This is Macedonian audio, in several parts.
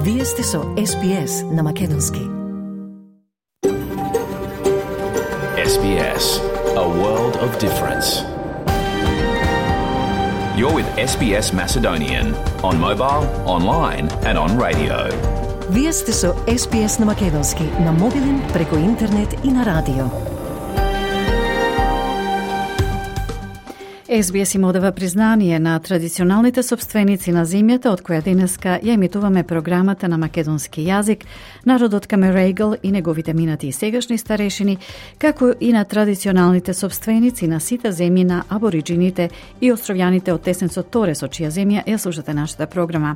Вие сте со SBS на Македонски. SBS, a world of difference. You're with SBS Macedonian on mobile, online and on radio. Вие сте со SBS на Македонски на мобилен, преку интернет и на радио. SBS им одава признание на традиционалните собственици на земјата, од која денеска ја емитуваме програмата на македонски јазик, народот Камерейгл и неговите минати и сегашни старешини, како и на традиционалните собственици на сите земји на абориджините и островјаните од Теснецот Торес, од чија земја ја слушате нашата програма.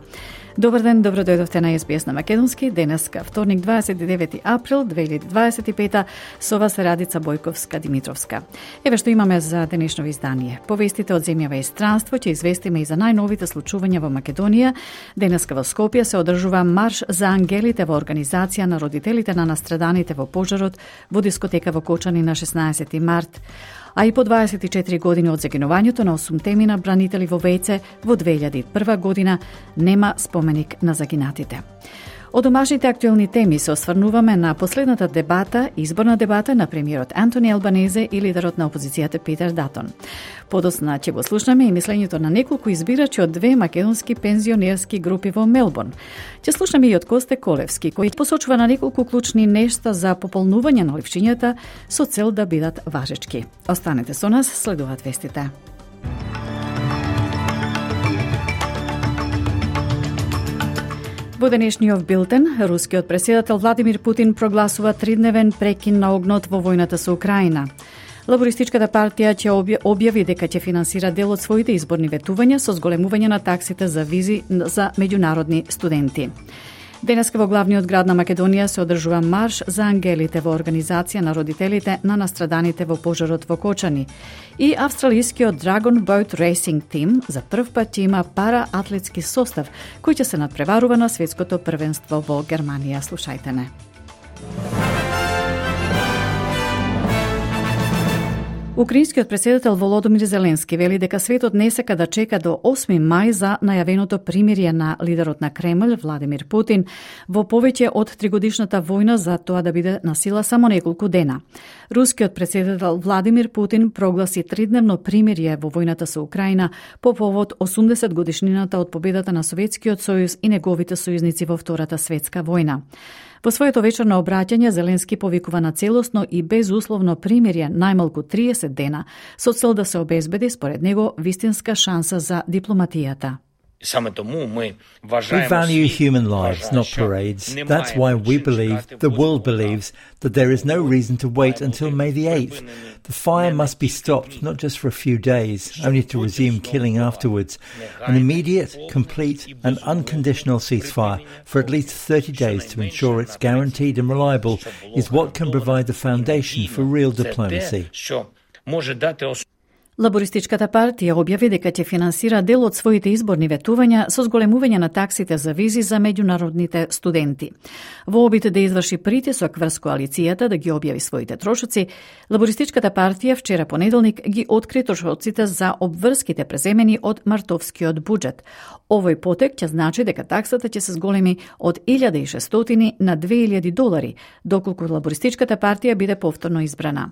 Добар ден, добро дојдовте на SBS на Македонски. Денеска, вторник, 29 април 2025, со вас Радица Бојковска-Димитровска. Еве што имаме за денешно издание. Повестите од земјава и странство, ќе известиме и за најновите случувања во Македонија. Денеска во Скопје се одржува марш за ангелите во организација на родителите на настраданите во пожарот во дискотека во Кочани на 16 март. А и по 24 години од загинувањето на 8 мина бранители во Вејце во 2001 година нема споменик на загинатите. Од домашните актуелни теми се осврнуваме на последната дебата, изборна дебата на премиерот Антони Албанезе и лидерот на опозицијата Питер Датон. Подосна ќе го слушнеме и мислењето на неколку избирачи од две македонски пензионерски групи во Мелбурн. Ќе слушнеме и од Косте Колевски, кој посочува на неколку клучни нешта за пополнување на ливчињата со цел да бидат важечки. Останете со нас, следуваат вестите. Во денешниот билтен, рускиот претседател Владимир Путин прогласува 3-дневен прекин на огнот во војната со Украина. Лабористичката партија ќе објави дека ќе финансира дел од своите изборни ветувања со зголемување на таксите за визи за меѓународни студенти. Денеска во главниот град на Македонија се одржува марш за ангелите во организација на родителите на настраданите во пожарот во Кочани. И австралискиот Dragon Boat Racing Team за прв пат ќе има параатлетски состав кој ќе се надпреварува на светското првенство во Германија. Слушајте не. Украинскиот претседател Володомир Зеленски вели дека светот не сака да чека до 8 мај за најавеното примирие на лидерот на Кремљ Владимир Путин во повеќе од 3-годишната војна за тоа да биде на сила само неколку дена. Рускиот претседател Владимир Путин прогласи 3-дневно примирие во војната со Украина по повод 80 годишнината од победата на Советскиот сојуз и неговите сојузници во Втората светска војна. Во своето вечерно обраќање Зеленски повикува на целосно и безусловно примирие најмалку 30 дена со цел да се обезбеди според него вистинска шанса за дипломатијата. We value human lives, not parades. That's why we believe, the world believes, that there is no reason to wait until May the 8th. The fire must be stopped, not just for a few days, only to resume killing afterwards. An immediate, complete and unconditional ceasefire for at least 30 days to ensure it's guaranteed and reliable is what can provide the foundation for real diplomacy. Лабористичката партија објави дека ќе финансира дел од своите изборни ветувања со зголемување на таксите за визи за меѓународните студенти. Во обид да изврши притисок врз коалицијата да ги објави своите трошоци, Лабористичката партија вчера понеделник ги откри трошоците за обврските преземени од мартовскиот буџет. Овој потек ќе значи дека таксата ќе се зголеми од $1,600 на $2,000, доколку Лабористичката партија биде повторно избрана.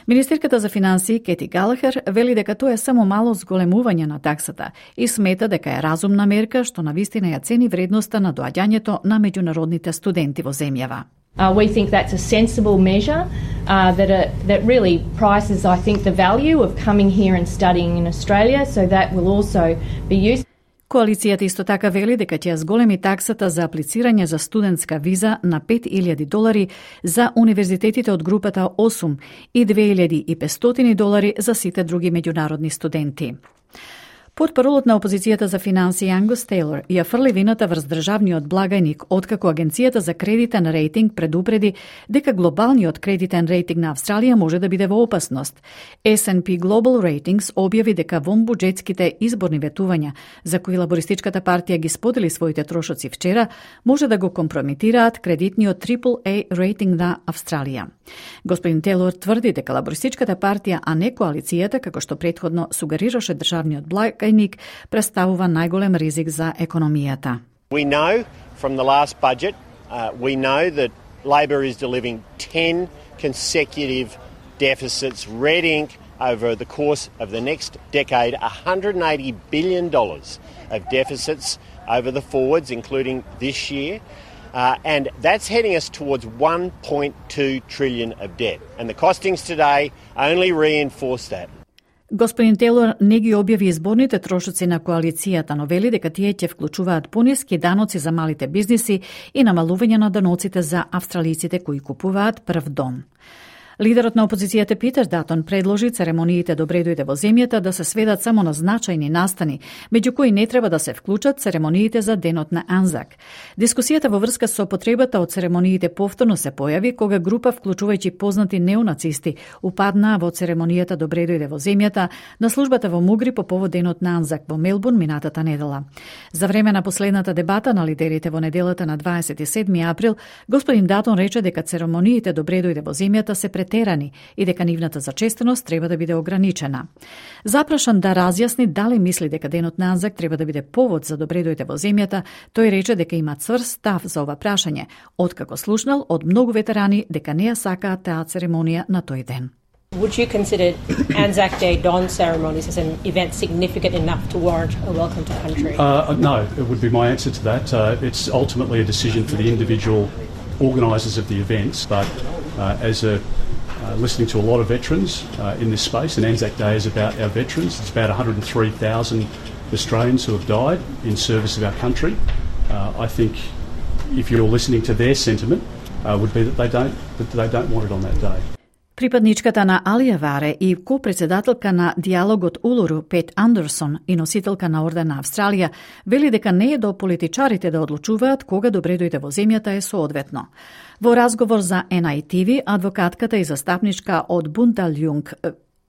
Министерката за финансии Кети Галахер вели дека тоа е само мало зголемување на таксата и смета дека е разумна мерка што навистина ја цени вредноста на доаѓањето на меѓународните студенти во земјава. We think that's a sensible measure that really prices, I think, the value of coming here and studying in Australia, so that will also be used. Коалицијата исто така вели дека ќе зголеми таксата за аплицирање за студентска виза на $5,000 за универзитетите од групата 8 и $2,500 за сите други меѓународни студенти. Портпаролот на опозицијата за финансии Ангус Тейлор ја фрли вината врз државниот благајник, откако Агенцијата за кредитен рейтинг предупреди дека глобалниот кредитен рейтинг на Австралија може да биде во опасност. S&P Global Ratings објави дека вонбуџетските изборни ветувања, за кои Лабористичката партија ги сподели своите трошоци вчера, може да го компрометираат кредитниот AAA рейтинг на Австралија. Господин Тейлор тврди дека Лабористичката партија, а не коалицијата, како што претходно сугерираше државниот благајник, представува најголем ризик за економијата. We know from the last budget, we know that Labor is delivering 10 consecutive deficits, red ink, over the course of the next decade, $180 billion of deficits over the forwards, including this year. And that's heading us towards $1.2 trillion of debt. And the costings today only reinforce that. Господин Тейлор не ги објави изборните трошоци на коалицијата, но вели дека тие ќе вклучуваат пониски даноци за малите бизниси и намалување на даноците за австралиците кои купуваат прв дом. Лидерот на опозицијата Питер Датон предложи церемониите Добре дојде во земјата да се сведат само на значајни настани, меѓу кои не треба да се вклучат церемониите за денот на Анзак. Дискусијата во врска со потребата од церемониите повторно се појави кога група вклучувајќи познати неонацисти упаднаа во церемонијата Добре дојде во земјата на службата во Мугри по повод денот на Анзак во Мелбурн минатата недела. За време на последната дебата на лидерите во неделата на 27 април, господин Датон рече дека церемониите Добре дојде во земјата се претерани и дека нивната зачестеност треба да биде ограничена. Запрашан да разјасни дали мисли дека денот на Анзак треба да биде повод за Добре дојде во земјата, тој рече дека има цврст став за ова прашање, откако слушнал од многу ветерани дека не ја сакаат таа церемонија на тој ден. Would you consider Anzac Day dawn ceremonies as an event significant enough to warrant a welcome to country? No, it would be my answer to that. It's ultimately a decision for the individual organisers of the events, but as listening to a lot of veterans in this space, and Anzac Day is about our veterans. It's about 103,000 Australians who have died in service of our country. I think if you're listening to their sentiment, would be that they don't want it on that day. Припадничката на Алијаваре и ко-председателка на диалогот Улуру Пет Андерсон и носителка на Орден на Австралија вели дека не е до политичарите да одлучуваат кога Добре дојде во земјата е соодветно. Во разговор за NITV, адвокатката и застапничка од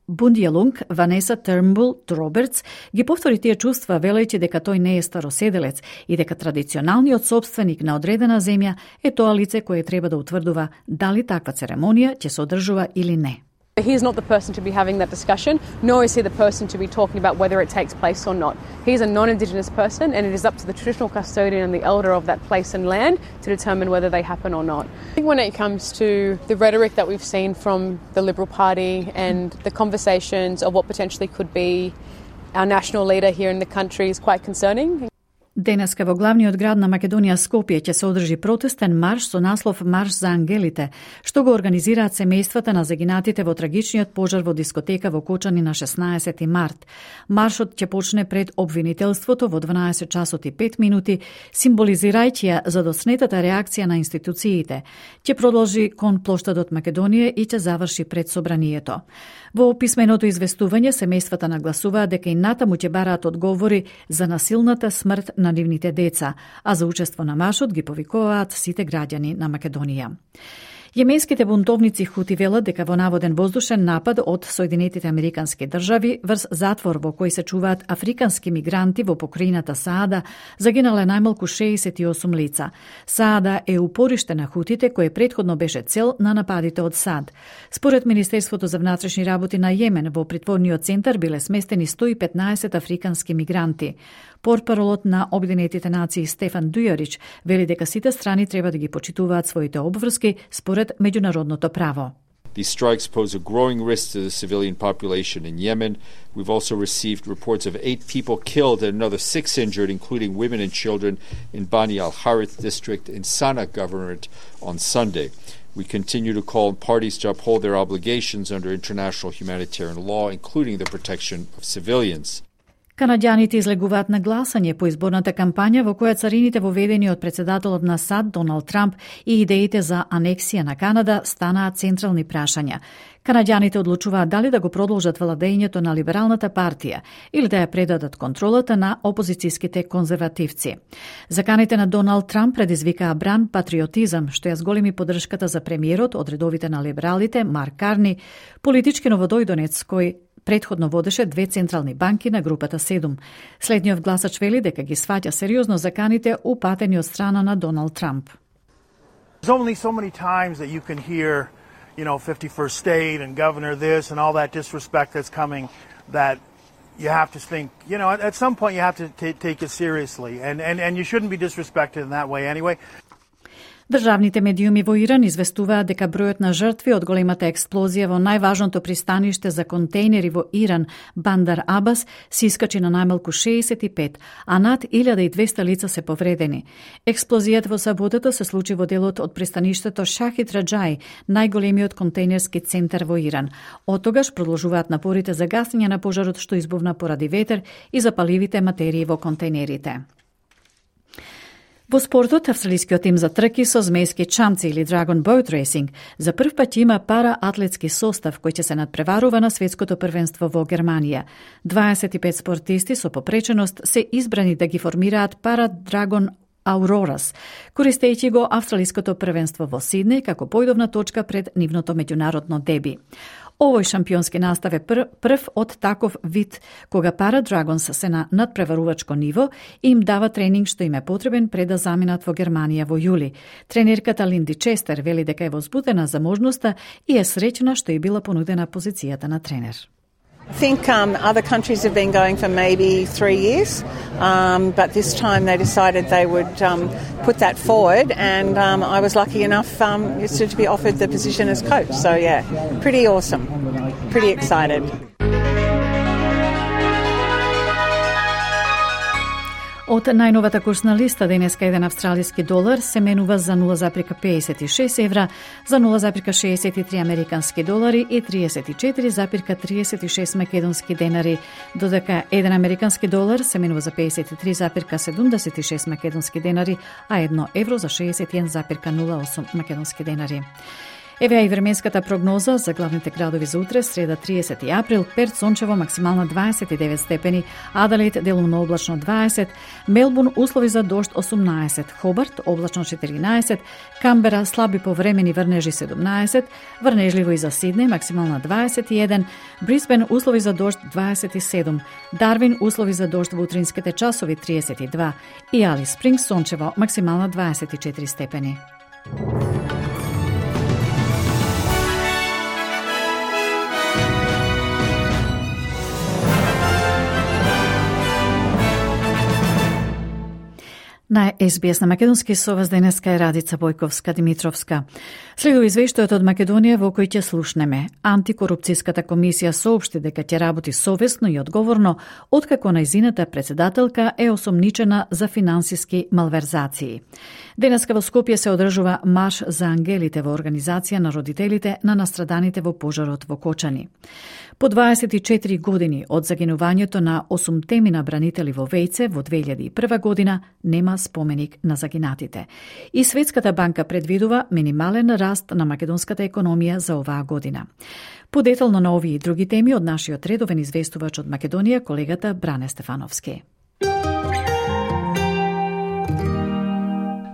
Бундијалунг Ванеса Тернбул Робертс ги повтори тие чувства велејќи дека тој не е староседелец и дека традиционалниот собственик на одредена земја е тоа лице кое треба да утврдува дали таква церемонија ќе се одржува или не. He's not the person to be having that discussion, nor is he the person to be talking about whether it takes place or not. He's a non-Indigenous person, and it is up to the traditional custodian and the elder of that place and land to determine whether they happen or not. I think when it comes to the rhetoric that we've seen from the Liberal Party and the conversations of what potentially could be our national leader here in the country is quite concerning. Денеска во главниот град на Македонија Скопје ќе се одржи протестен марш со наслов Марш за ангелите, што го организираат семејствата на загинатите во трагичниот пожар во дискотека во Кочани на 16 март. Маршот ќе почне пред обвинителството во 12 часот и 5 минути, символизирајќи ја задоснетата реакција на институциите. Ќе продолжи кон плоштадот Македонија и ќе заврши пред собранието. Во писменото известување семејствата нагласуваат дека и натаму ќе бараат одговори за насилната смрт на нивните деца, а за учество на маршот ги повикуваат сите граѓани на Македонија. Јеменските бунтовници Хути велат дека во наводен воздушен напад од Соединетите Американски држави врз затвор во кој се чуваат африкански мигранти во покрајината Саада загинале најмалку 68 лица. Саада е упориште на Хутите кој претходно беше цел на нападите од САД. Според Министерството за внатрешни работи на Јемен, во притворниот центар биле сместени 115 африкански мигранти. Портпаролот на Обединетите нации Стефан Дујарич вели дека сите страни треба да ги почитуваат своите обврски според меѓународното право. These strikes pose a growing risk to the civilian population in Yemen. We've also received reports of 8 people killed and another 6 injured, including women and children, in Bani al-Harith district in Sana'a governorate on Sunday. We continue to call on parties to uphold their obligations under international humanitarian law, including the protection of civilians. Канаѓаните излегуваат на гласање по изборната кампања во која царините воведени од председателот на САД Доналд Трамп и идеите за анексија на Канада станаат централни прашања. Канаѓаните одлучуваат дали да го продолжат владењето на либералната партија или да ја предадат контролата на опозицијските конзервативци. Заканите на Доналд Трамп предизвикаа бран патриотизам, што ја зголеми поддршката за премиерот од редовите на либералите Марк Карни, политички новодојдонец кој предходно водеше 2 централни банки на групата 7. Следниот гласач вели дека ги сваќа сериозно заканите упатени од страна на Доналд Трамп. There's only so many times that you can hear, 51st state and governor this and all that disrespect that's coming, that you have to think, at some point you have to take it seriously, and you shouldn't be disrespected in that way anyway. Државните медиуми во Иран известуваат дека бројот на жртви од големата експлозија во најважното пристаниште за контейнери во Иран, Бандар Абас, се искачи на најмалку 65, а над 1200 лица се повредени. Експлозијата во саботата се случи во делот од пристаништето Шахид Раджаи, најголемиот контейнерски центар во Иран. Оттогаш продолжуваат напорите за гасење на пожарот што избувна поради ветер и запаливите материи во контейнерите. Во спортот, австралискиот тим за трки со змејски чамци или Dragon Boat Racing за прв пат има пара-атлетски состав кој ќе се надпреварува на светското првенство во Германија. 25 спортисти со попреченост се избрани да ги формираат пара-Dragon Aurorас, користејќи го австралиското првенство во Сиднеј како појдовна точка пред нивното меѓународно деби. Овој шампионски настав е прв од таков вид, кога Пара-Драгонс се на надпреварувачко ниво и им дава тренинг што им е потребен пред да заминат во Германија во јули. Тренерката Линди Честер вели дека е возбудена за можноста и е среќна што е била понудена позицијата на тренер. I think other countries have been going for maybe 3 years, but this time they decided they would put that forward, and I was lucky enough to be offered the position as coach. So yeah, pretty awesome, pretty excited. Од најновата курсна листа денеска еден австралиски долар се менува за 0,56 евра, за 0,63 американски долари и 34,36 македонски денари, додека еден американски долар се менува за 53,76 македонски денари, а 1 евро за 61,08 македонски денари. Еве и временската прогноза за главните градови за утре, среда 30 април: Перт сончево, максимална 29 степени, Аделаид делумно облачно 20, Мелбурн услови за дожд 18, Хобарт облачно 14, Камбера слаби повремени врнежи 17, врнежливо и за Сиднеј, максимална 21, Брисбен услови за дожд 27, Дарвин услови за дожд во утринските часови 32 и Алис Спрингс сончево, максимална 24 степени. На SBS на македонски со вас денеска е Радица Бојковска-Димитровска. Следува извештајот од Македонија во кој ќе слушнеме. Антикорупцијската комисија соопшти дека ќе работи совесно и одговорно откако најзината председателка е осомничена за финансиски малверзации. Денеска во Скопје се одржува марш за ангелите во организација на родителите на настраданите во пожарот во Кочани. По 24 години од загинувањето на 8 мина бранители во Вејце во 2001 година нема споменик на загинатите. И Светската банка предвидува минимален раст на македонската економија за оваа година. Подетално на овие и други теми од нашиот редовен известувач од Македонија, колегата Бране Стефановски.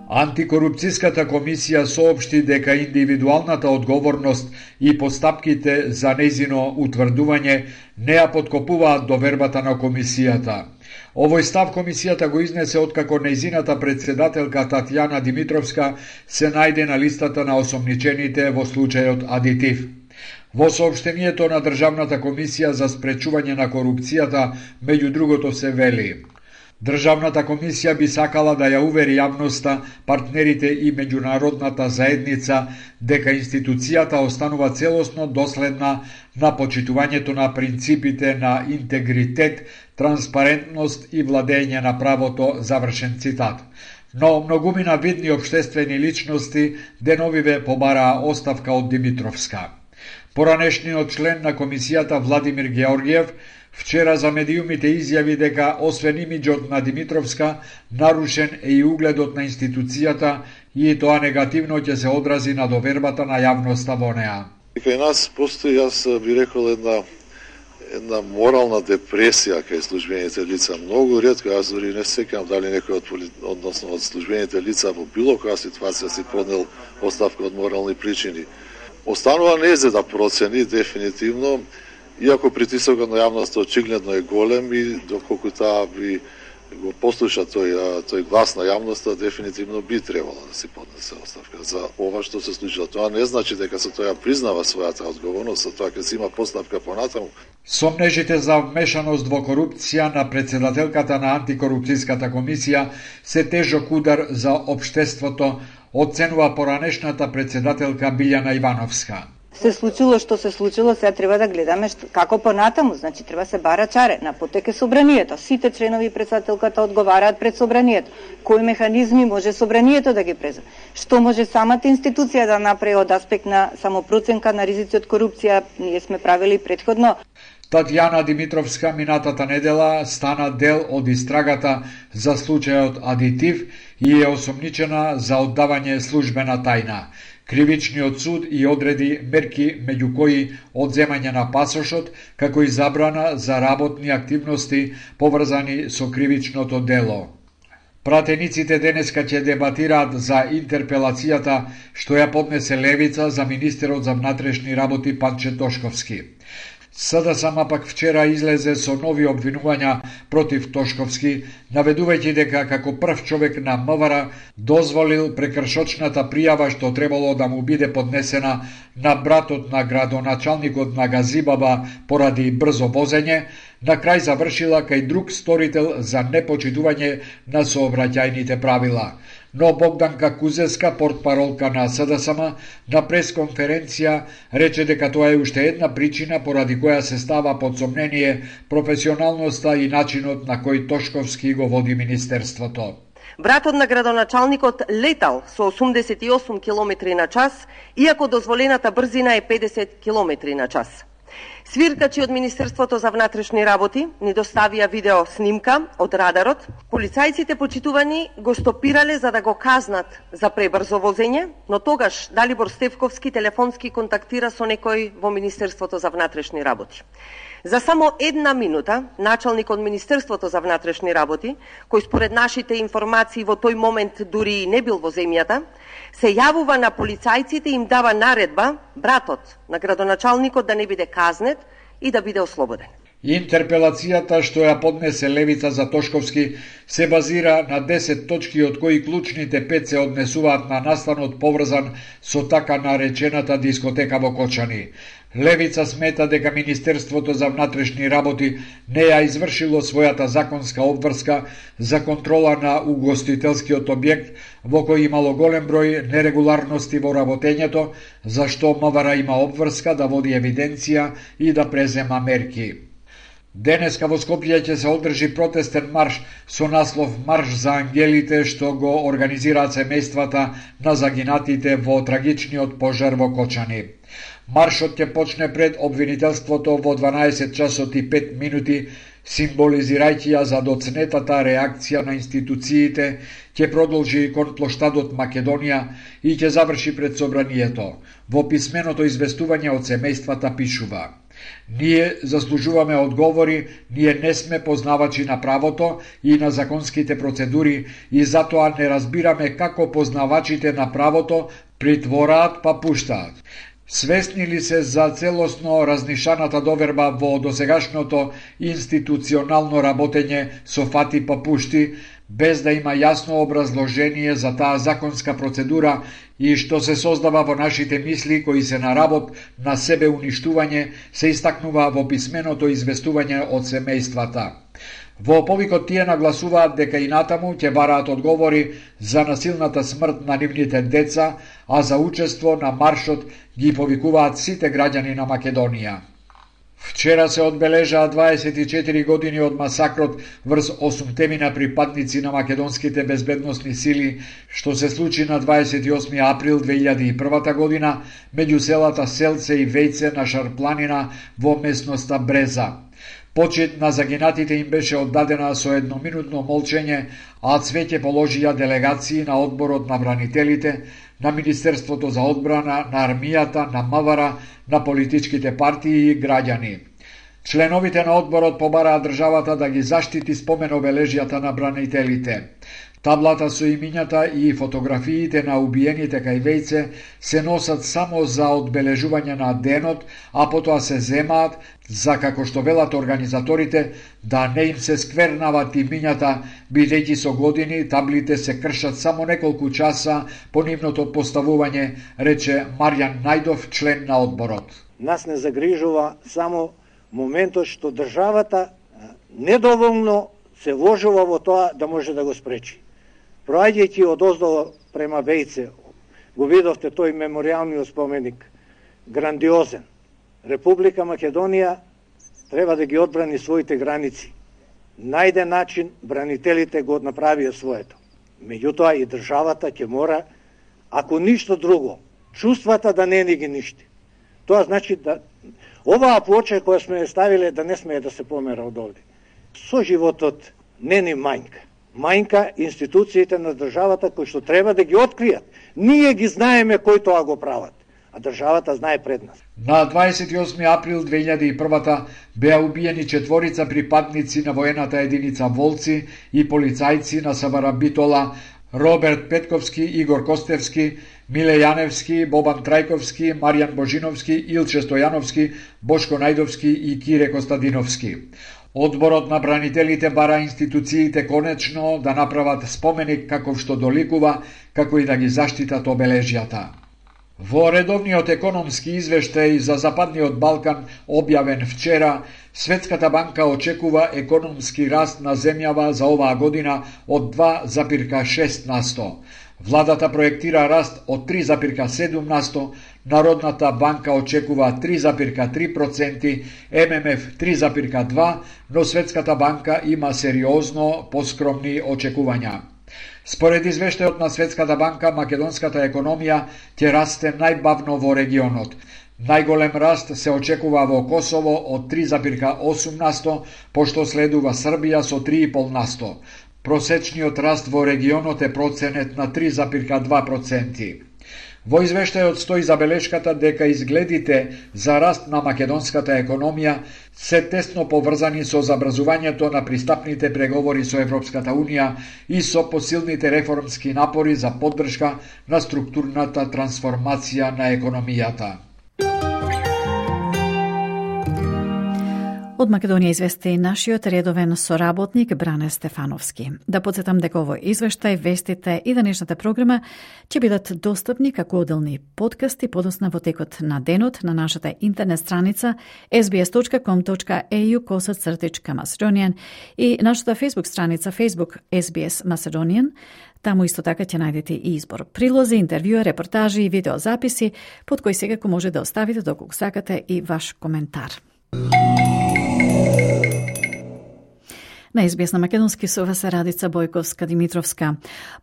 Антикорупцијската комисија соопшти дека индивидуалната одговорност и постапките за нејзино утврдување не ја подкопуваат довербата на комисијата. Овој став комисијата го изнесе откако нејзината председателка Татјана Димитровска се најде на листата на осомничените во случајот Адитив. Во соопштението на Државната комисија за спречување на корупцијата, меѓу другото се вели: Државната комисија би сакала да ја увери јавноста, партнерите и меѓународната заедница дека институцијата останува целосно доследна на почитувањето на принципите на интегритет, транспарентност и владење на правото, завршен цитат. Но многумина видни општествени личности деновиве побараа оставка од Димитровска. Поранешниот член на комисијата Владимир Георгиев вчера за медиумите изјави дека освен имиџот на Димитровска, нарушен е и угледот на институцијата и тоа негативно ќе се одрази на довербата на јавноста во неа. Кај нас постои, јас би рекол, една морална депресија кај службените лица. Многу ретко, јас дори не сеќам дали некој од службените лица во било која ситуација си поднел оставка од морални причини. Останува незе да процени дефинитивно, иако притисокот на јавноста очигледно е голем и доколку таа би го послуша тој глас на јавноста, дефинитивно би требало да се поднесе оставка за ова што се случило. Тоа не значи дека со тоа признава својата одговорност, со тоа ќе се има постапка понатаму. Сомнежите за вмешаност во корупција на председателката на антикорупцијската комисија се тежок удар за општеството, оценува поранешната председателка Билјана Ивановска. Се случило што се случило, сега треба да гледаме како понатаму, значи треба се бара чаре, на потек е собранието. Сите членови и председателката одговараат пред собранието. Кои механизми може собранието да ги преземе? Што може самата институција да направи од аспект на самопроценка на ризици од корупција, ние сме правили претходно. Татјана Димитровска минатата недела стана дел од истрагата за случајот Адитив и е осомничена за оддавање службена тајна. Кривичниот суд и одреди мерки меѓу кои одземање на пасошот, како и забрана за работни активности поврзани со кривичното дело. Пратениците денеска ќе дебатираат за интерпелацијата што ја поднесе Левица за министерот за внатрешни работи Панче Тошковски. СДСМ пак вчера излезе со нови обвинувања против Тошковски, наведувајќи дека како прв човек на МВР дозволил прекршочната пријава што требало да му биде поднесена на братот на градоначалникот на Газибаба поради брзо возење, на крај завршила кај друг сторител за непочитување на сообраќајните правила. Но Богданка Кузеска, портпаролка на СДСМ, на пресконференција рече дека тоа е уште една причина поради која се става под сомнение професионалноста и начинот на кој Тошковски го води министерството. Братот на градоначалникот летал со 88 км на час, иако дозволената брзина е 50 км на час. Свиркачи од Министерството за внатрешни работи ни доставија видео снимка од радарот. Полицајците почитувани го стопирале за да го казнат за пребрзо возење, но тогаш Далибор Стефковски телефонски контактира со некој во Министерството за внатрешни работи. За само една минута, началникот Министерството за внатрешни работи, кој според нашите информации во тој момент дури не бил во земјата, се јавува на полицајците и им дава наредба братот на градоначалникот да не биде казнет и да биде ослободен. Интерпелацијата што ја поднесе Левица за Тошковски се базира на 10 точки, од кои клучните 5 се однесуваат на настанот поврзан со така наречената дискотека во Кочани. Левица смета дека Министерството за внатрешни работи не ја извршило својата законска обврска за контрола на угостителскиот објект, во кој имало голем број нерегуларности во работењето, зашто МВР има обврска да води евиденција и да презема мерки. Денеска во Скопје ќе се одржи протестен марш со наслов Марш за ангелите, што го организираат семејствата на загинатите во трагичниот пожар во Кочани. Маршот ќе почне пред обвинителството во 12 часот и 5 минути, символизирајќи ја задоцнетата реакција на институциите, ќе продолжи кон плоштадот Македонија и ќе заврши пред собранието. Во писменото известување од семејствата пишува: Ние заслужуваме одговори, ние не сме познавачи на правото и на законските процедури и затоа не разбираме како познавачите на правото притвораат па пуштаат. Свесни ли се за целосно разнишаната доверба во досегашното институционално работење со фати па пушти, без да има јасно образложение за таа законска процедура и што се создава во нашите мисли кои се на работ на себе уништување, се истакнува во писменото известување од семејствата. Во повикот тие нагласуваат дека и натаму ќе бараат одговори за насилната смрт на нивните деца, а за учество на маршот ги повикуваат сите граѓани на Македонија. Вчера се одбележаа 24 години од масакрот врз 8 припадници на македонските безбедносни сили, што се случи на 28 април 2001 година меѓу селата Селце и Вејце на Шарпланина во местноста Бреза. Почит на загинатите им беше оддадена со едноминутно молчење, а цвеќе положија делегации на одборот на бранителите, на Министерството за одбрана, на армијата, на МВР, на политичките партии и граѓани. Членовите на одборот побараа државата да ги заштити спомен обележјата на бранителите. Таблата со имињата и фотографиите на убиените кај вејце се носат само за одбележување на денот, а потоа се земаат за, како што велат организаторите, да не им се сквернават имињата, бидејќи со години таблите се кршат само неколку часа по нивното поставување, рече Марјан Најдов, член на одборот. Нас не загрижува само моментот што државата недоволно се вложува во тоа да може да го спречи. Проаѓајќи од оздолу према вејце, го видовте тој меморијалниот споменик, грандиозен. Република Македонија треба да ги одбрани своите граници. Најде начин, бранителите го направија своето. Меѓутоа и државата ќе мора, ако ништо друго, чувствата да не ни ги ништи. Тоа значи да оваа плоча која сме ставиле да не смее да се помера од овде. Со животот не ни мањка. Мањка институциите на државата кои што треба да ги откријат. Ние ги знаеме кои тоа го прават, а државата знае пред нас. На 28 април 2001 беа убиени 4 припадници на воената единица Волци и полицајци на СВР Битола, Роберт Петковски, Игор Костевски, Миле Јаневски, Бобан Трајковски, Маријан Божиновски, Илче Стојановски, Бошко Најдовски и Кире Костадиновски. Одборот на бранителите бара институциите конечно да направат споменик каков што доликува, како и да ги заштитат обележјата. Во редовниот економски извештај за Западниот Балкан, објавен вчера, Светската банка очекува економски раст на земјава за оваа година од 2,6%. Владата проектира раст од 3,7%, Народната банка очекува 3,3%, ММФ 3,2%, но Светската банка има сериозно поскромни очекувања. Според извештајот на Светската банка, македонската економија ќе расте најбавно во регионот. Најголем раст се очекува во Косово од 3,8%, пошто следува Србија со 3,5%. Просечниот раст во регионот е проценет на 3,2%. Во извештајот стои забелешката дека изгледите за раст на македонската економија се тесно поврзани со забрзувањето на пристапните преговори со Европската Унија и со посилните реформски напори за поддршка на структурната трансформација на економијата. Од Македонија извести нашиот редовен соработник Бране Стефановски. Да подсетам дека овој извештај, вестите и денешната програма ќе бидат достапни како отделни подкасти подосна во текот на денот на нашата интернет страница sbs.com.au/Macedonian и нашата Facebook страница Facebook SBS Macedonian. Таму исто така ќе најдете и избор прилози, интервјуа, репортажи и видеозаписи под кои секако може да оставите доколку сакате и ваш коментар. На SBS на македонски со вас Радица Бојковска-Димитровска.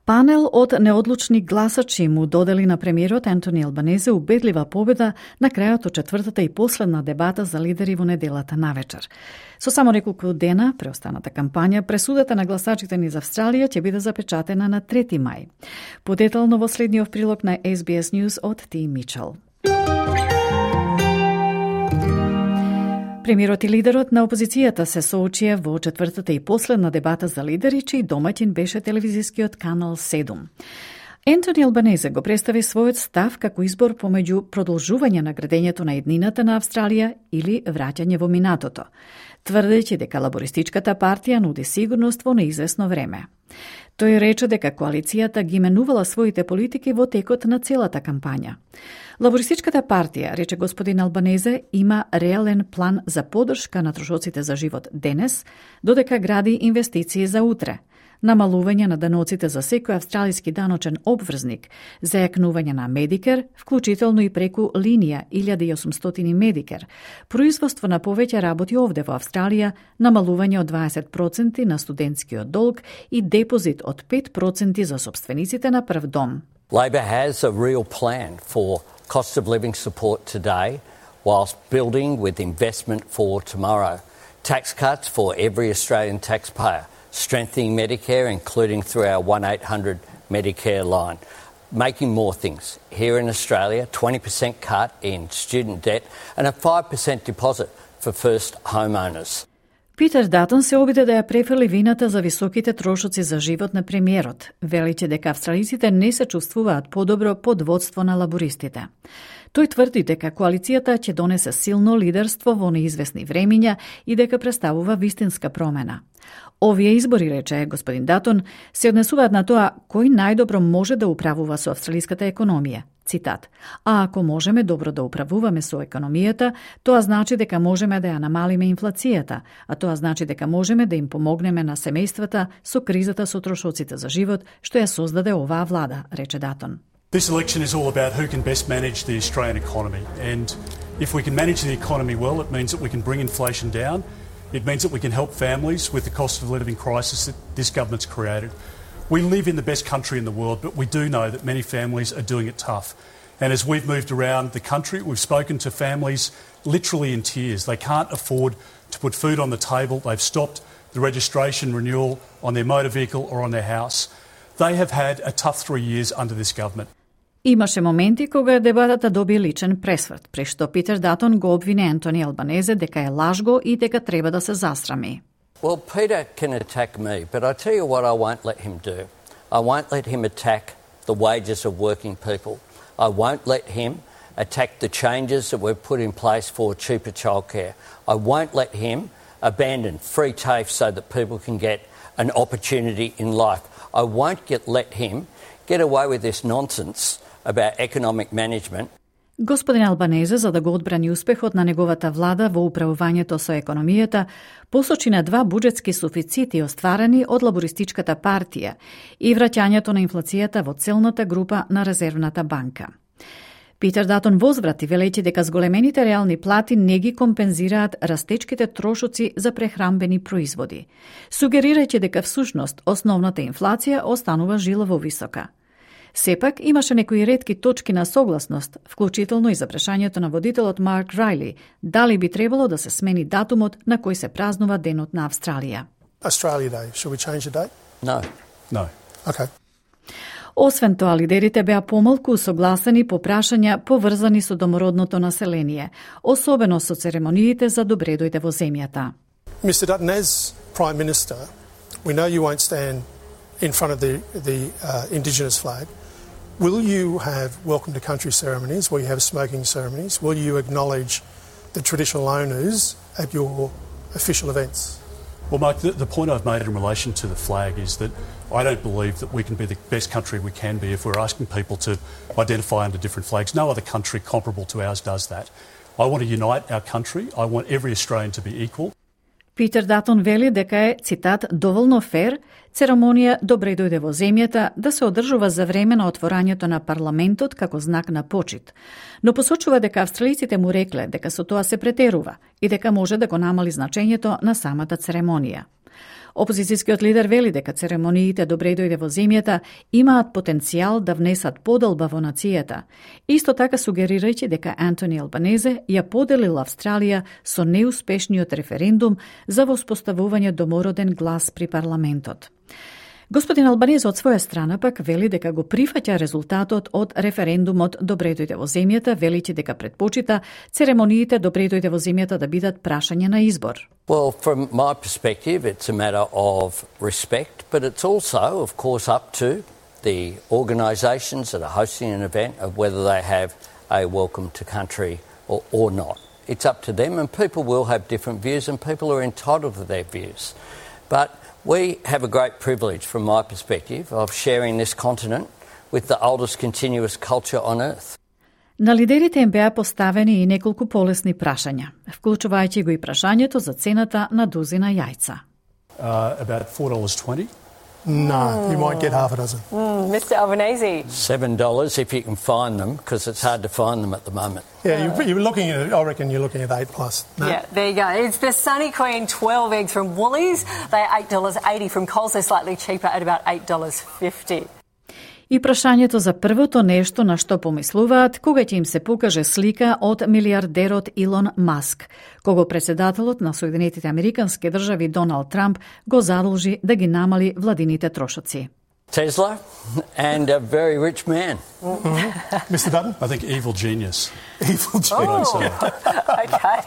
Панел од неодлучни гласачи му додели на премиерот Антони Албанезе убедлива победа на крајот од четвртата и последна дебата за лидери во неделата навечер. Со само неколку дена преостаната кампања, пресудата на гласачите низ Австралија ќе биде запечатена на 3 мај. Подетално во следниот прилог на SBS News од Ти Мичел. Премиерот и лидерот на опозицијата се соочија во четвртата и последна дебата за лидери, чиј домаќин беше телевизискиот канал 7. Ентони Албанезе го представи својот став како избор помеѓу продолжување на градењето на еднината на Австралија или враќање во минатото, тврдејќи дека лабористичката партија нуди сигурност во неизвестно време. Тој рече дека коалицијата ги менувала своите политики во текот на целата кампања. Лабористичката партија, рече господин Албанезе, има реален план за поддршка на трошоците за живот денес, додека гради инвестиции за утре, намалување на даноците за секој австралиски даночен обврзник, зајакнување на Медикер, вклучително и преку линија 1800 Медикер, производство на повеќе работи овде во Австралија, намалување од 20% на студентскиот долг и депозит од 5% за собствениците на прв дом. Labor has a real plan for cost of living support today, whilst building with investment for tomorrow. Tax cuts for every Australian taxpayer, strengthening Medicare, including through our 1-800 Medicare line, making more things. Here in Australia, 20% cut in student debt and a 5% deposit for first homeowners. Питер Датон се обиде да ја префрли вината за високите трошоци за живот на премиерот, величе дека австралиците не се чувствуваат подобро под водство на лабористите. Тој тврди дека коалицијата ќе донесе силно лидерство во неизвестни времиња и дека представува вистинска промена. Овие избори, рече господин Датон, се однесуваат на тоа кој најдобро може да управува со австралиската економија. Цитат: "А ако можеме добро да управуваме со економијата, тоа значи дека можеме да ја намалиме инфлацијата, а тоа значи дека можеме да им помогнеме на семејствата со кризата со трошоците за живот што ја создаде оваа влада", рече Датон. This election is all about who can best manage the Australian economy, and if we can manage the economy well, it means that we can bring inflation down. It means that we can help families with the cost of living crisis that this government's created. We live in the best country in the world, but we do know that many families are doing it tough. And as we've moved around the country, we've spoken to families literally in tears. They can't afford to put food on the table. They've stopped the registration renewal on their motor vehicle or on their house. They have had a tough 3 years under this government. Имаше моменти кога дебатата доби личен пресврт, при што Питер Датон го обвини Ентони Албанезе дека е лажго и дека треба да се засрами. Well, Peter can attack me, but I tell you what I won't let him do. I won't let him attack the wages of working people. I won't let him attack the changes that we've put in place for cheaper childcare. I won't let him abandon free TAFE so that people can get an opportunity in life. I won't let him get away with this nonsense about economic management. Господин Албанезе, за да го одбрани успехот на неговата влада во управувањето со економијата, посочи на 2 буџетски суфицити остварени од лабористичката партија и враќањето на инфлацијата во целната група на Резервната банка. Питер Датон возврати велејќи дека зголемените реални плати не ги компензираат растечките трошоци за прехранбени производи, сугерирајќи дека всушност основната инфлација останува жилаво висока. Сепак имаше некои ретки точки на согласност, вклучително и за прашањето на водителот Марк Райли, дали би требало да се смени датумот на кој се празнува Денот на Австралија. Australia Day. Should we change the date? No. No. Okay. Освен тоа, лидерите беа помалку усогласени по прашања поврзани со домородното население, особено со церемониите за добре дојде во земјата. Mr. Dutton, as Prime Minister, we know you won't stand in front of the Indigenous flag. Will you have welcome to country ceremonies? Will you have smoking ceremonies? Will you acknowledge the traditional owners at your official events? Well, Mike, the point I've made in relation to the flag is that I don't believe that we can be the best country we can be if we're asking people to identify under different flags. No other country comparable to ours does that. I want to unite our country. I want every Australian to be equal. Питер Датон вели дека е, цитат, доволно фер церемонија Добре дојде во земјата да се одржува за време на отворањето на парламентот како знак на почит, но посочува дека австралиците му рекле дека со тоа се претерува и дека може да го намали значењето на самата церемонија. Опозицијскиот лидер вели дека церемониите Добре дојде во земјата имаат потенцијал да внесат подолба во нацијата, исто така сугерирајќи дека Ентони Албанезе ја поделил Австралија со неуспешниот референдум за воспоставување домороден глас при парламентот. Господин Албанезе од своја страна пак вели дека го прифаќа резултатот од референдумот Добре дојде во земјата, величи дека предпочита церемониите Добре дојде во земјата да бидат прашање на избор. Well, from my perspective, it's a matter of respect, but it's also, of course, up to the organisations that are hosting an event of whether they have a welcome to country or not. It's up to them, and people will have different views, and people are entitled to their views. But we have a great privilege, from my perspective, of sharing this continent with the oldest continuous culture on earth. На лидерите им беа поставени и неколку полесни прашања, вклучувајќи го и прашањето за цената на дузина јајца. About $4.20. No, you might get half a dozen. Mr. Albanese. $7 if you can find them, because it's hard to find them at the moment. Yeah, you're looking at, I reckon you're looking at 8+. No? Yeah, there you go. It's the Sunny Queen 12 eggs from Woolies. They're $8.80 from Coles. They're slightly cheaper at about $8.50. И прашањето за првото нешто на што помислуваат кога ќе им се покаже слика од милиардерот Илон Маск, кого председателот на Соединетите Американски држави Доналд Трамп го задолжи да ги намали владините трошоци. Tesla and a very rich man. Mr. Dutton? I think evil genius. Evil genius. Okay.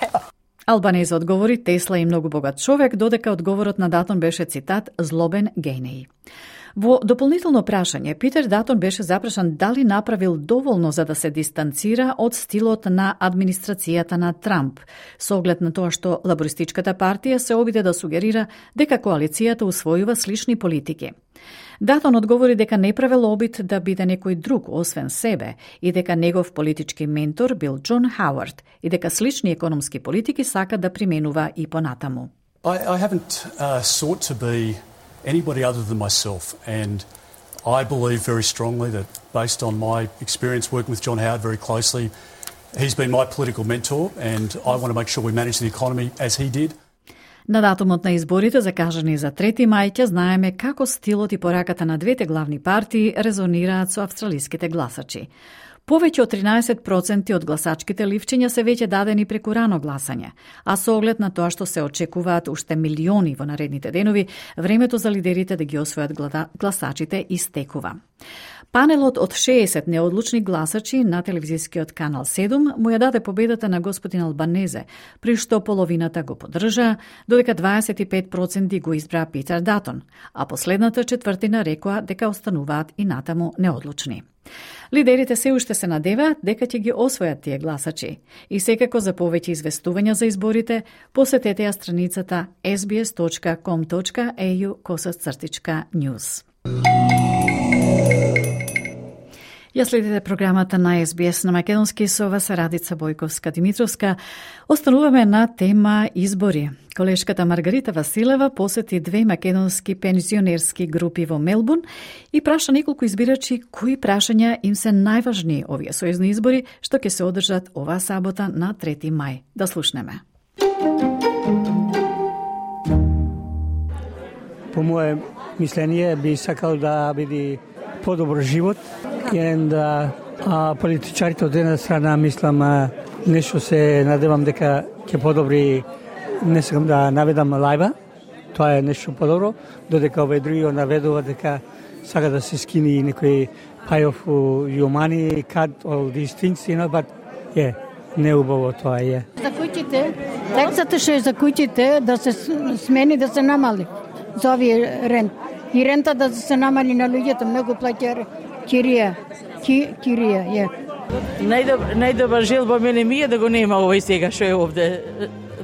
Албанезе одговори Тесла и многу богат човек, додека одговорот на Датон беше цитат «Злобен генеј». Во дополнително прашање, Питер Датон беше запрашан дали направил доволно за да се дистанцира од стилот на администрацијата на Трамп, со оглед на тоа што Лабористичката партија се обиде да сугерира дека коалицијата усвојува слични политики. Датон одговори дека не правел обид да биде некој друг освен себе и дека негов политички ментор бил Џон Хауард и дека слични економски политики сака да применува и понатаму. I haven't sought to be anybody other than myself, and I believe very strongly that based on my experience working with John Howard very closely, he's been my political mentor and I want to make sure we manage the economy as he did. На датумот на изборите закажани за 3 мај ќе знаеме како стилот и пораката на двете главни партии резонираат со австралиските гласачи. Повеќе од 13% од гласачките ливчиња се веќе дадени преку рано гласање, а со оглед на тоа што се очекуваат уште милиони во наредните денови, времето за лидерите да ги освојат гласачите истекува. Панелот од 60 неодлучни гласачи на телевизискиот канал 7 му ја даде победата на господин Албанезе, при што половината го поддржаа, додека 25% го избра Питер Датон, а последната четвртина рекоа дека остануваат и натаму неодлучни. Лидерите се уште се надеваат дека ќе ги освојат тие гласачи и секако за повеќе известувања за изборите посетете ја страницата sbs.com.au/news. Ја следите програмата на SBS на македонски со вас Радица Бојковска-Димитровска. Остануваме на тема избори. Колешката Маргарита Василева посети 2 македонски пензионерски групи во Мелбурн и праша неколку избирачи кои прашања им се најважни овие сојузни избори што ќе се одржат оваа сабота на 3 мај. Да слушнеме. По моје мислење би сакал да биде подобар живот. Политичарите од една страна мислам нешто се надевам дека ќе подобри, не сакам да наведам лајба, тоа е нешто подобро, додека овој други наведува дека сака да се скини некој pay of your money, cut all these things, but не убаво тоа е. За куќите, тексата што е за куќите да се смени, да се намали за овие рент. И рента да се намали на луѓето, многу плаќаат кирија, Најдобра желба мене ми е да го нема овој сега што е овде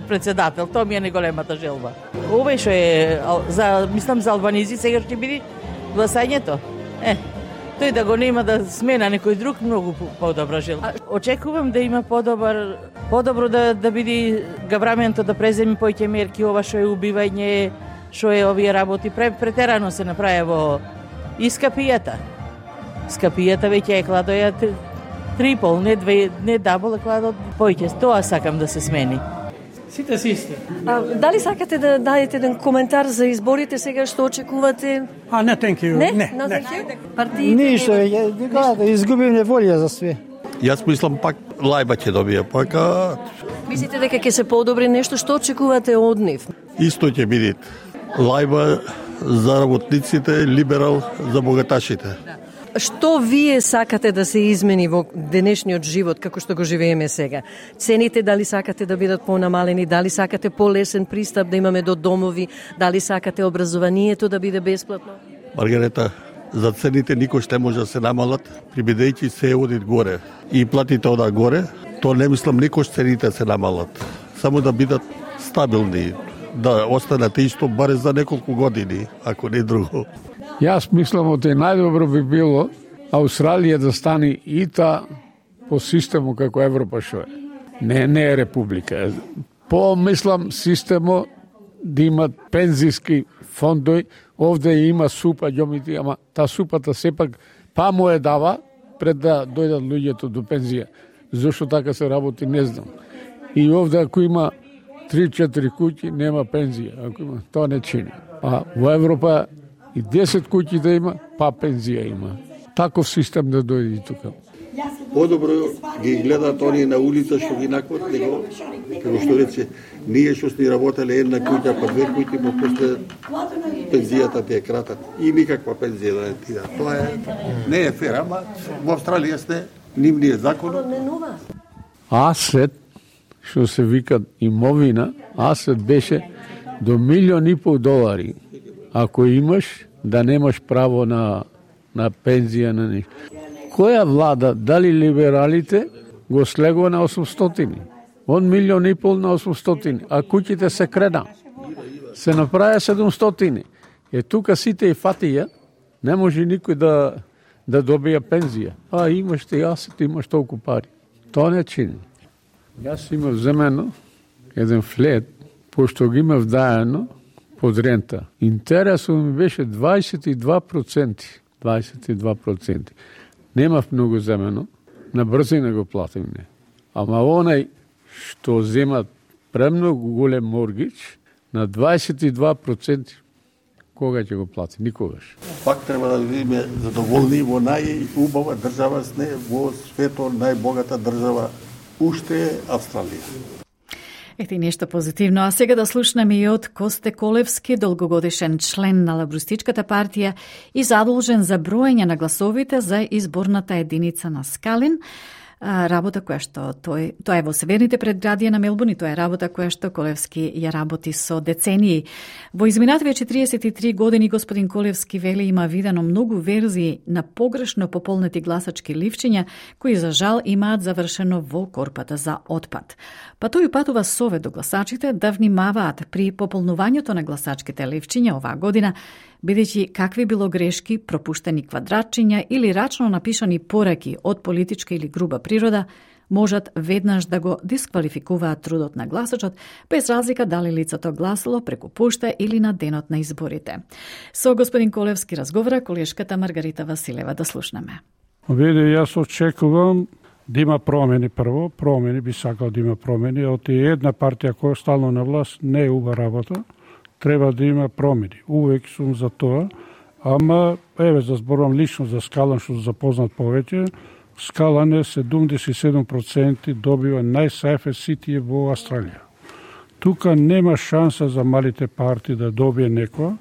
председател. Тоа ми е најголемата желба. Овој што е мислам за албанези сега ќе биде гласањето. Тој да го нема да смена некој друг, многу подобра желба. Очекувам да има подобро да биде гавраменто да преземи поќе мерки, ова што е убивање, што е овие работи, претерано се направи во Скапијата. Скапијата веќе е кладоја трипол, не дабл, кладо поќе. Тоа сакам да се смени. Сите си исти. Дали сакате да дадете еден коментар за изборите сега што очекувате? Не, thank you. Не? Ништо, да изгубиме волја за све. Јас мислам пак лајба ќе добија, Мислите дека ќе се подобри нешто, што очекувате од нив? Исто ќе биде. Лајба за работниците, либерал за богаташите. Што вие сакате да се измени во денешниот живот како што го живееме сега? Цените дали сакате да бидат понамалени, дали сакате полесен пристап да имаме до домови, дали сакате образованието да биде бесплатно? Маргарета, за цените никој ще може да се намалат, прибедејќи се оди горе и платите ода горе, то не мислам никој цените се намалат. Само да бидат стабилни, да останат исто баре за неколку години, ако не друго. Јас мислам оте најдобро би било Австралија да стане ИТА по систему како Европа што е. Не е република. По мислам системо да имат пензиски фондови, овде има супа ѓомити, ама та супата сепак па му е дава пред да дојдат луѓето до пензија. Зошто така се работи, не знам. И овде ако има 3-4 куќи, нема пензија. Ако има, тоа не чини. А во Европа и 10 куќи да има, па пензија има. Таков систем да дојде тука. Подобро ги гледаат они на улица што ги накват, него, како што рече, ние што сни работеле една куќа, па 2 куќи, но после пензијата ти е кратат. И никаква пензија да не ти да. Тоа не е фер, ама во Австралија сте, нивниот закон. Асет што се вика имовина, асет беше до $1,500,000. Ако имаш, да немаш право на пензија, на нешто. Која влада, дали либералите, го слегува на 800? Од $1,500,000 на 800, а куќите се крена. Се направи 700. Тука сите и фатија, не може никој да добија пензија. Имаш ти асет, имаш толку пари. Тоа не чини. Јас имав земено еден флет, пошто ги имав дајано под рента. Интересот ми беше 22%. 22%. Немав многу земено, на брзина го платим не. Ама онај што земат премногу голем моргич, на 22%, кога ќе го плати? Никогаш. Пак треба да бидеме задоволни во најубава држава во светот, најбогата држава уште е Австралија. Ете нешто позитивно. А сега да слушнеме и од Косте Колевски, долгогодишен член на Лабористичката партија и задолжен за броење на гласовите за изборната единица на Скалин. Работа која што тоа е во северните предградија на Мелбурн и тоа е работа која што Колевски ја работи со децении. Во изминативе 43 години господин Колевски вели има видено многу верзии на погрешно пополнети гласачки ливчиња кои за жал имаат завршено во корпата за отпад. Па тој упатува совет до гласачите да внимаваат при пополнувањето на гласачките ливчиња оваа година, бидејќи какви било грешки, пропуштени квадратчиња или рачно напишани пораки од политичка или груба природа, можат веднаш да го дисквалификуваат трудот на гласачот, без разлика дали лицето гласало преку пошта или на денот на изборите. Со господин Колевски разговара колешката Маргарита Василева. Да слушнеме. Јас очекувам да има промени прво. Промени би сакал да има промени. Од една партија која е стално на власт не е убава работа. Треба да има промени. Увек сум за тоа. Ама, за зборувам лично за Скалан, што запознат повеќе. Скалан е 77% добива најсајфе ситија во Австралија. Тука нема шанса за малите партии да добие некоја.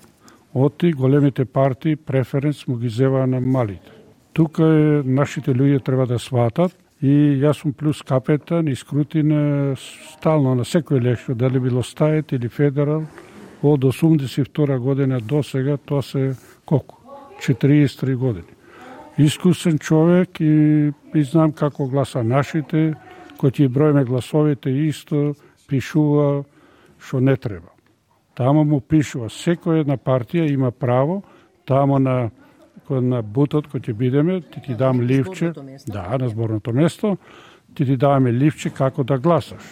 Оти големите партии преференц му ги зева на малите. Тука нашите луѓе треба да сватат и јас сум плюс капетан и скрутина стално на секој лешо, дали било стајет или федерал, од 82 година до сега, тоа се колку? 43 години. Искусен човек и знам како гласа нашите, кој ќе броиме гласовите исто, пишува што не треба. Тамо му пишува, секоја една партија има право, тамо на бутот кој ќе бидеме, ти дам ливче, на зборното место, ти даваме ливче како да гласаш.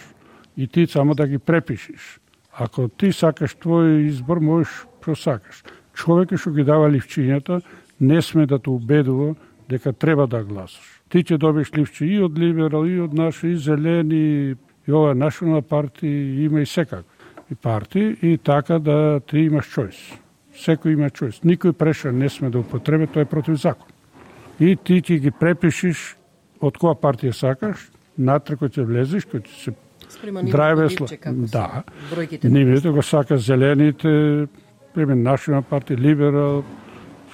И ти само да ги препишиш. Ако ти сакаш твој избор, можеш што сакаш. Човекот што ги дава ливчињата не сме да те убедува дека треба да гласаш. Ти ќе добиеш ливче и од либерал, и од наши, и зелени, и ова национална партија, има и секак и партии, и така да ти имаш чојс. Секој има чојс. Никој прешен не сме да употреби, тоа е против закон. И ти ќе ги препишиш од која партија сакаш, натре кој ќе влезеш, кој ќе се драйвесла. Да. Нивните го сака зелените, пример национална партија, либерал,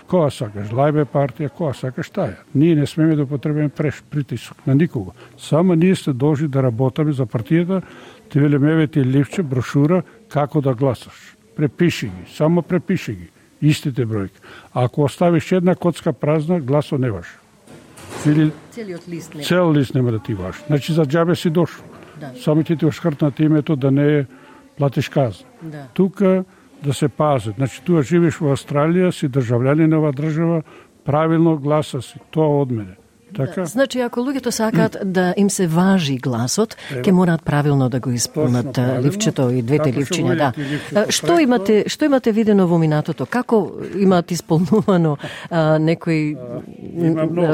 која сакаш, Лајбе партија, која сакаш таја. Ние не смеме да употребиме притисок на никого. Само ние сте должни да работаме за партијата, ти велиме ти ливче, брошура, како да гласаш. Препиши ги, само препиши ги, истите бројки. Ако оставиш една коцка празна, гласо не важи. Цел лист нема да ти важи. Значи за џабе си дошол. Да. Само ти ошкртнат името да не платиш казна. Да. Тука да се пазат. Значи туа живиш во Австралија, си држављанин на оваа држава, правилно гласа си, тоа од мене. Така? Да, значи, ако луѓето сакаат да им се важи гласот, ќе мораат правилно да го исполнат ливчето и двете ливчиња. Да. Што имате видено во минатото? Како имаат исполнувано некои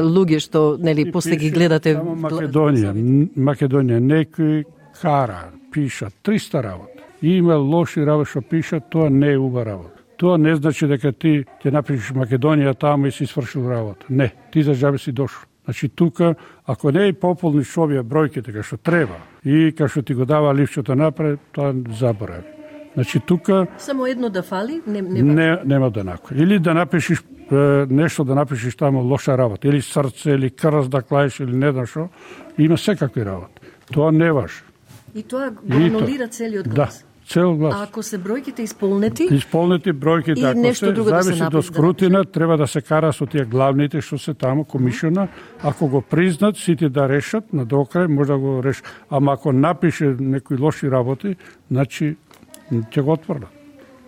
луѓе што после ги гледате? Македонија, некои кара, пишат 300 работи. Има лоши работи што пишат, тоа не е убава работа. Тоа не значи дека ти ќе напишеш Македонија таму и си свршил работа. Не, ти за џабе си дошол. Значи тука, ако не пополниш овие бројките кај што треба и кај што ти го дава ливчето напред, тоа заборави. Значи тука само едно да фали, нема да накој. Или да напишеш нешто да напишеш таму лоша работа, или срце, или крст да клаеш, или не знам што, има секакви работи. Тоа не важи. И тоа го анулира целиот глас. Да, цел глас. А ако се бројките исполнети? Исполнети бројките, ако нешто се друго да се зависи направи, до скрутина, треба да се кара со тие главните што се таму, комишиона. Ако го признат, сите да решат, на докрај може да го решат. Ама ако напише некои лоши работи, значи ќе го отфрлат.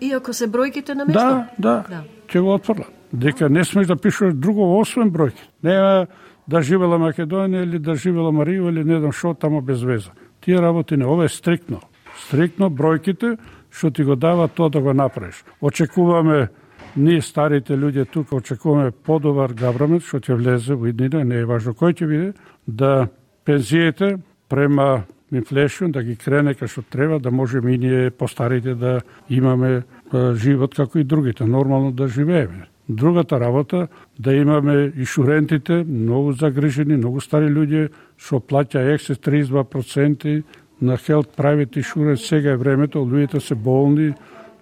И ако се бројките на место? Да, ќе го отфрлат. Дека не смеш да пишеш друго освен бројки. Нема да живела Македонија или да живела Марија или не знам што тамо без веза. Тие работи не, ова е стриктно. Стриктно бројките што ти го дава тоа да го направиш. Очекуваме, ние старите луѓе тука очекуваме подобар гаврамент што ќе влезе во иднина, не е важно кој ќе биде, да пензиите према инфлешн да ги крене кај што треба, да можеме и ние постарите да имаме живот како и другите, нормално да живееме. Другата работа, да имаме и шурентите, многу загрижени, многу стари луѓе, што плаќа ексес 32% на Health Private Insurance, сега е времето, луѓето се болни,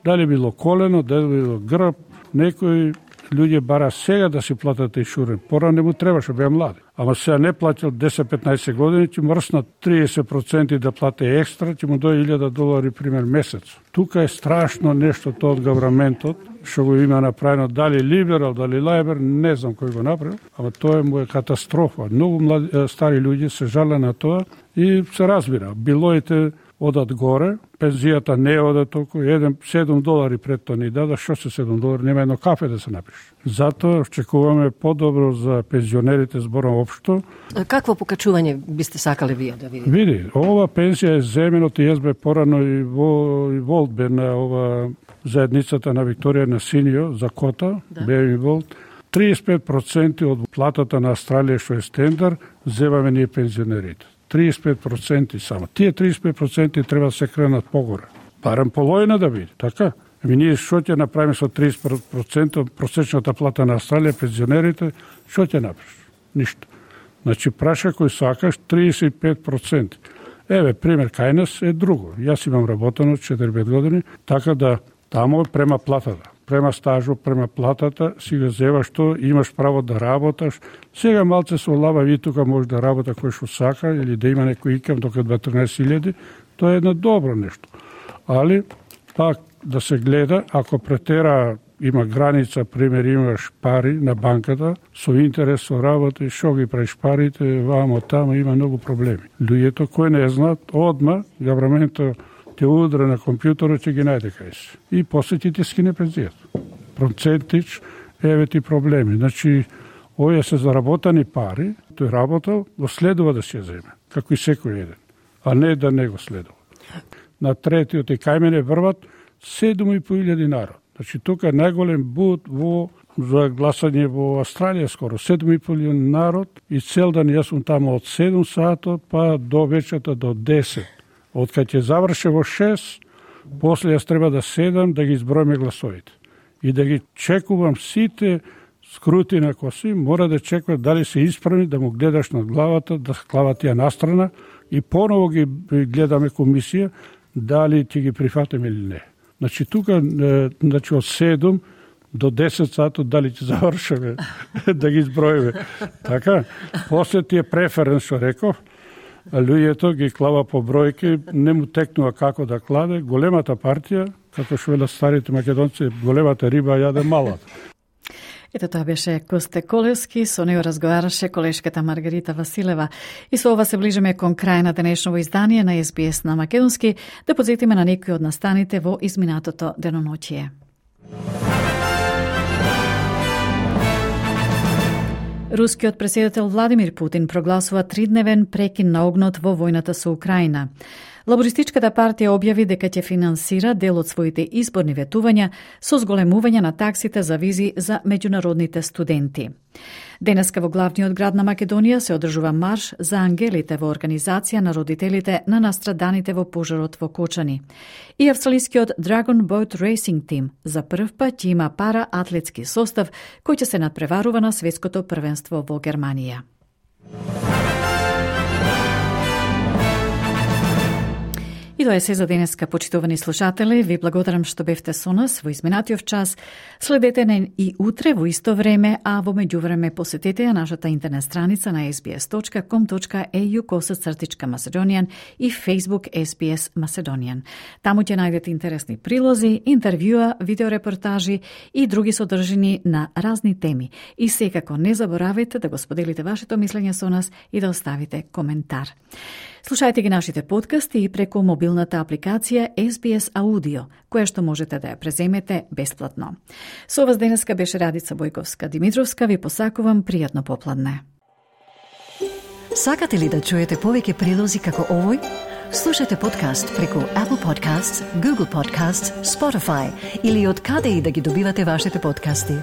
дали било колено, дали било грб, некои луѓе бара сега да си платат иншуренс, пора не му требаше, беа млади. Ама сега не платил 10-15 години, ќе мрснат 30% да плате екстра, ќе му дојде $1,000 пример месец. Тука е страшно нешто тоа од гавраментот, што го има направено, дали либерал, дали лајбер, не знам кој го направил, ама тоа е моја катастрофа. Многу млади, стари луѓе се жале на тоа и се разбира. Билоите одат горе, пензијата не ода толку, $7 пред тоа ни дада, што се $7, нема едно кафе да се напише. Затоа очекуваме подобро за пензионерите збором општо. Какво покачување бисте сакале вие да видите? Види, ова пензија е земено, и јас бе порано и Волт бе на ова заедницата на Викторија на Синио за кота, бе и Волт. 35% од платата на Австралија што е стендар, земаме ние пензионерите. 35% само. Тие 35% треба да се кренат погоре. Барем половина да биде, така? Ние што ќе направиме со 30% просечната плата на Австралија, пензионерите, што ќе направиш? Ништо. Значи, праша кој сакаш 35%. Еве, пример, кај нас е друго. Јас имам работено 4-5 години, така да тамо према платата. Према стажу, према платата, си го зеваш што, имаш право да работаш. Сега малце се олава и тука може да работа кој што сака или да има некој икам дока 13.000, тоа е едно добро нешто. Али, пак да се гледа, ако претера има граница, пример имаш пари на банката, со интерес, со работа, и шо ги правиш парите, вамо, тамо, има многу проблеми. Луѓето кои не знаат, одма, гавраментот те удра на компјутерот, ќе ги најде кај се. И после ќе ти скине пензијата. Процентич, еве ти проблеми. Значи, овие се заработани пари, тој работал, го следува да се земе, како и секој еден, а не да не го следува. На третиот и кај мене врват 7.500 народ. Значи, тука е најголем бут за гласање во Австралија скоро. 7.500 народ и цел ден јас сум тамо од 7 сато па до вечерта до 10. Од кај ќе заврше во 6, после јас треба да седам да ги изброиме гласовите. И да ги чекувам сите скрутина коси, мора да чекуват дали се исправни, да му гледаш над главата, да клават ја настрана и поново ги гледаме комисија, дали ќе ги прифатиме или не. Значи, тука, значи, од 7 до 10 сато, дали ќе завршаме да ги изброиме. Така, после тие преференс, што реков, луѓето ги клава по бројки, не му текнува како да кладе. Големата партија, како што велат старите македонци, големата риба јаде малата. Ето тоа беше Косте Колевски, со него разговараше колешката Маргарита Василева. И со ова се ближиме кон крај на денешново издание на SBS на македонски, да подсетиме на некои од настаните во изминатото деноноќие. Рускиот претседател Владимир Путин прогласува 3-дневен прекин на огнот во војната со Украина. Лабористичката партија објави дека ќе финансира дел од своите изборни ветувања со зголемување на таксите за визи за меѓународните студенти. Денеска во главниот град на Македонија се одржува марш за ангелите во организација на родителите на настраданите во пожарот во Кочани. И австралискиот Dragon Boat Racing Team за прв пат ќе има пара атлетски состав кој ќе се надпреварува на светското првенство во Германија. И тоа е се за денеска, почитувани слушатели. Ви благодарам што бевте со нас во изминатиот час. Следете не и утре во исто време, а во меѓувреме посетете ја нашата интернет страница на sbs.com.au/Macedonian и Facebook SBS Macedonian. Таму ќе најдете интересни прилози, интервјуа, видеорепортажи и други содржини на разни теми. И секако не заборавајте да го споделите вашето мислење со нас и да оставите коментар. Слушајте ги нашите подкасти и преку мобилната апликација SBS Audio, која што можете да ја преземете бесплатно. Со вас денеска беше Радица Бојковска-Димитровска. Ви посакувам пријатно попладне. Сакате ли да чуете повеќе прилози како овој? Слушате подкаст преку Apple Podcasts, Google Podcasts, Spotify или од каде и да ги добивате вашите подкасти.